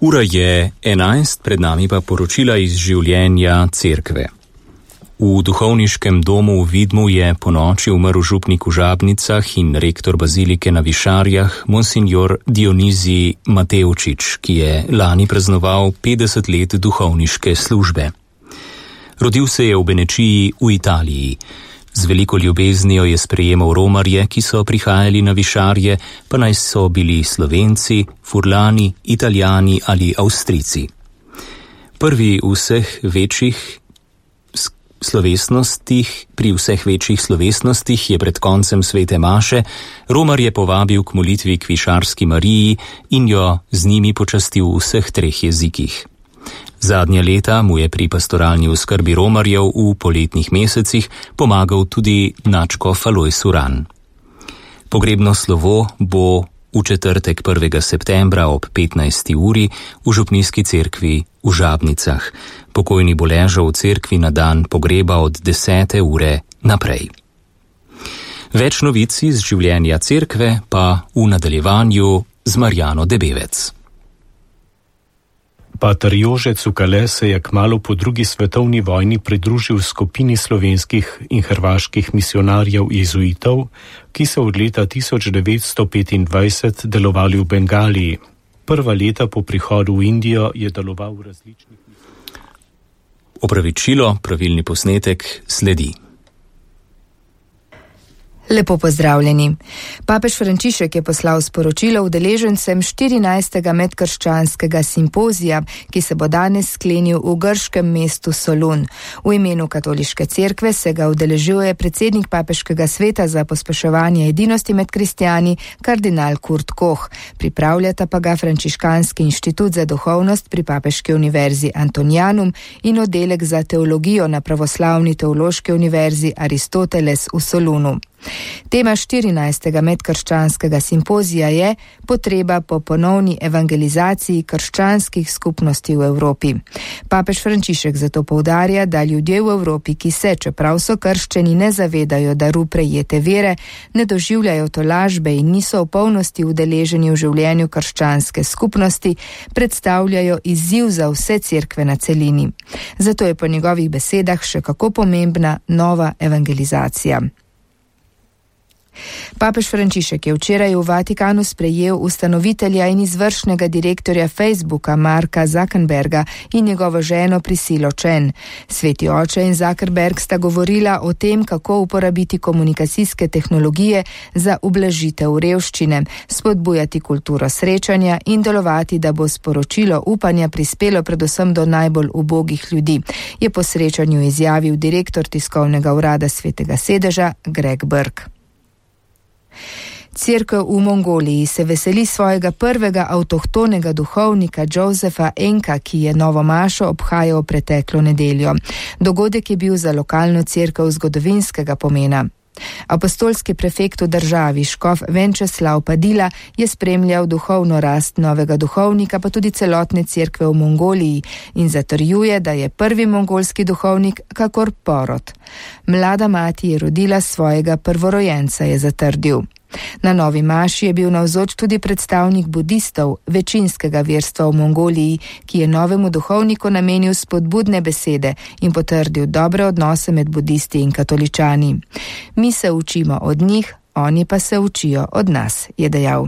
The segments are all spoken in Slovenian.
Ura je 11, pred nami pa poročila iz življenja cerkve. V duhovniškem domu v Vidmu je ponoči umrl župnik v Žabnicah in rektor bazilike na Višarjah, monsinjor Dionizij Matevčič, ki je lani praznoval 50 let duhovniške službe. Rodil se je v Benečiji v Italiji. Z veliko ljubeznijo je sprejemal romarje, ki so prihajali na Višarje, pa naj so bili Slovenci, Furlani, Italijani ali Avstrijci. Pri vseh večjih slovesnostih je pred koncem svete maše romarje povabil k molitvi k Višarski Mariji in jo z njimi počastil v vseh 3 jezikih. Zadnja leta mu je pri pastoralni oskrbi romarjev v poletnih mesecih pomagal tudi nadškof Alojz Uran. Pogrebno slovo bo v četrtek 1. septembra ob 15. uri v župnijski cerkvi v Žabnicah. Pokojni bo ležal v cerkvi na dan pogreba od 10. ure naprej. Več novic iz življenja cerkve pa v nadaljevanju z Marjano Debevec. Pater Jože Cukale se je kmalu po drugi svetovni vojni pridružil skupini slovenskih in hrvaških misionarjev jezuitov, ki so od leta 1925 delovali v Bengaliji. Prva leta po prihodu v Indijo je deloval v različnih... Opravičilo, pravilni posnetek sledi. Lepo pozdravljeni. Papež Frančišek je poslal sporočilo udeležencem 14. medkrščanskega simpozija, ki se bo danes sklenil v grškem mestu Solun. V imenu katoliške cerkve se ga udeležuje predsednik papeškega sveta za pospeševanje edinosti med kristjani, kardinal Kurt Koch. Pripravljata pa ga Frančiškanski inštitut za duhovnost pri Papeški univerzi Antonianum in oddelek za teologijo na Pravoslavni teološki univerzi Aristoteles v Solunu. Tema 14. medkrščanskega simpozija je potreba po ponovni evangelizaciji krščanskih skupnosti v Evropi. Papež Frančišek zato poudarja, da ljudje v Evropi, ki se, čeprav so krščeni, ne zavedajo daru prejete vere, ne doživljajo tolažbe in niso v polnosti udeleženi v življenju krščanske skupnosti, predstavljajo izziv za vse cerkve na celini. Zato je po njegovih besedah še kako pomembna nova evangelizacija. Papež Frančišek je včeraj v Vatikanu sprejel ustanovitelja in izvršnega direktorja Facebooka Marka Zuckerberga in njegovo ženo Priscillo Chen. Sveti oče in Zuckerberg sta govorila o tem, kako uporabiti komunikacijske tehnologije za ublažitev revščine, spodbujati kulturo srečanja in delovati, da bo sporočilo upanja prispelo predvsem do najbolj ubogih ljudi, je po srečanju izjavil direktor tiskovnega urada Svetega sedeža Greg Burke. Cerkev v Mongoliji se veseli svojega prvega avtohtonega duhovnika Josefa Enka, ki je novo mašo obhajal preteklo nedeljo. Dogodek je bil za lokalno cerkev zgodovinskega pomena. Apostolski prefekt v državi škof Venčeslav Padila je spremljal duhovno rast novega duhovnika, pa tudi celotne cerkve v Mongoliji in zatrjuje, da je prvi mongolski duhovnik kakor porod. Mlada mati je rodila svojega prvorojenca, je zatrdil. Na novi maši je bil navzoč tudi predstavnik budistov, večinskega verstva v Mongoliji, ki je novemu duhovniku namenil spodbudne besede in potrdil dobre odnose med budisti in katoličani. Mi se učimo od njih, oni pa se učijo od nas, je dejal.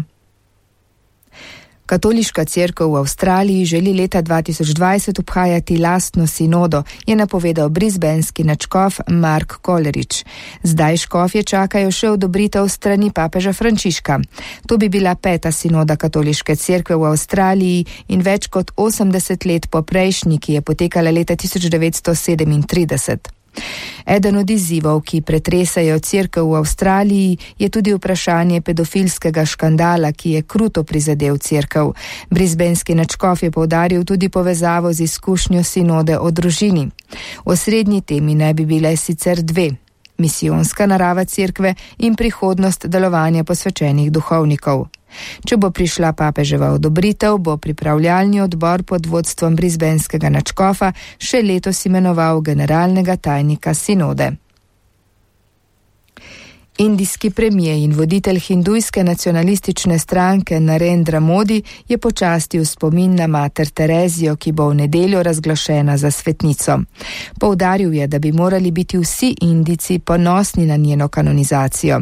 Katoliška cerkev v Avstraliji želi leta 2020 obhajati lastno sinodo, je napovedal brisbanski nadškof Mark Coleridge. Zdaj škofje čakajo še odobritev strani papeža Frančiška. To bi bila 5. sinoda katoliške cerkve v Avstraliji in več kot 80 let po prejšnji, ki je potekala leta 1937. Eden od izzivov, ki pretresajo cerkev v Avstraliji, je tudi vprašanje pedofilskega škandala, ki je kruto prizadel cerkev. Brisbanski nadškof je poudaril tudi povezavo z izkušnjo sinode o družini. Osrednji temi naj bi bile sicer 2: misijonska narava cerkve in prihodnost delovanja posvečenih duhovnikov. Če bo prišla papeževa odobritev, bo pripravljalni odbor pod vodstvom brisbanskega nadškofa še letos imenoval generalnega tajnika sinode. Indijski premijer in voditelj hindujske nacionalistične stranke Narendra Modi je počastil spomin na mater Terezijo, ki bo v nedeljo razglašena za svetnico. Poudaril je, da bi morali biti vsi Indijci ponosni na njeno kanonizacijo.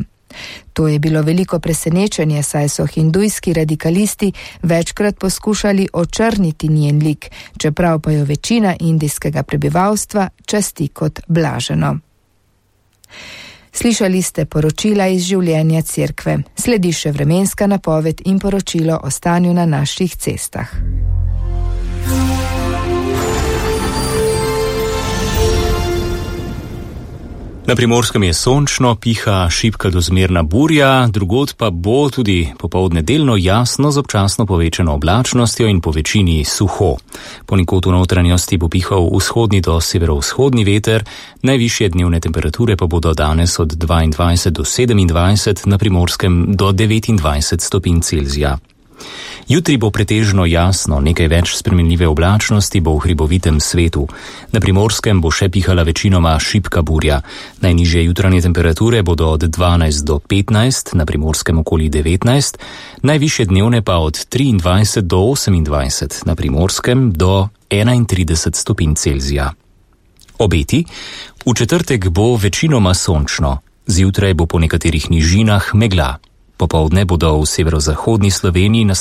To je bilo veliko presenečenje, saj so hindujski radikalisti večkrat poskušali očrniti njen lik, čeprav pa jo večina indijskega prebivalstva časti kot blaženo. Slišali ste poročila iz življenja cerkve. Sledi še vremenska napoved in poročilo o stanju na naših cestah. Na Primorskem je sončno, piha šibka do zmerna burja, drugod pa bo tudi popoldne delno jasno z občasno povečano oblačnostjo in po večini suho. Ponekod v notranjosti bo pihal vzhodni do severovzhodni veter, najvišje dnevne temperature pa bodo danes od 22 do 27, na Primorskem do 29 stopinj Celzija. Jutri bo pretežno jasno, nekaj več spremenljive oblačnosti bo v hribovitem svetu. Na Primorskem bo še pihala večinoma šibka burja. Najnižje jutranje temperature bodo od 12 do 15, na Primorskem okoli 19, najvišje dnevne pa od 23 do 28, na Primorskem do 31 stopinj Celzija. Obeti: v četrtek bo večinoma sončno, zjutraj bo po nekaterih nižinah megla. Popoldne bodo v severozahodni Sloveniji nastale